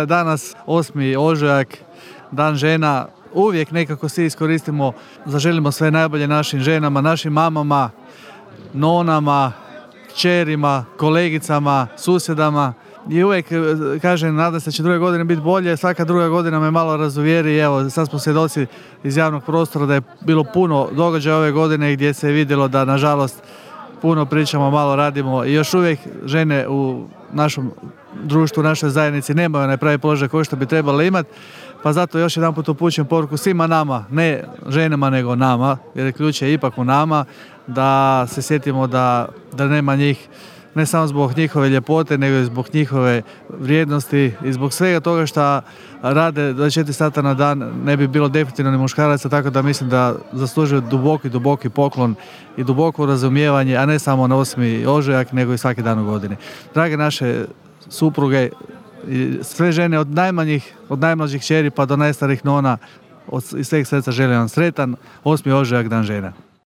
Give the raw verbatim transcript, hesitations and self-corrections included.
Danas osmi ožujak, dan žena, uvijek nekako svi iskoristimo, zaželimo sve najbolje našim ženama, našim mamama, nonama, kćerima, kolegicama, susjedama. I uvijek kažem, nadam se da će druge godine biti bolje, svaka druga godina me malo razuvjeri. Evo, sad smo svjedoci iz javnog prostora da je bilo puno događaja ove godine gdje se je vidjelo da, nažalost, puno pričamo, malo radimo i još uvijek žene u našem društvu, u našoj zajednici nemaju onaj pravi položaj koji što bi trebali imati. Pa zato još jedan put upućujem poruku svima nama, ne ženama nego nama, jer ključ je ipak u nama, da se sjetimo da, da nema njih, ne samo zbog njihove ljepote, nego i zbog njihove vrijednosti i zbog svega toga što rade dvadeset četiri sata na dan, ne bi bilo definitivno ni muškaraca, tako da mislim da zaslužuju duboki, duboki poklon i duboko razumijevanje, a ne samo na osmi ožujak, nego i svaki dan u godini. Drage naše supruge, i sve žene od najmanjih, od najmlađih kćeri pa do najstarijih nona, od, iz sveg srca želim vam sretan osmi ožujak, dan žena.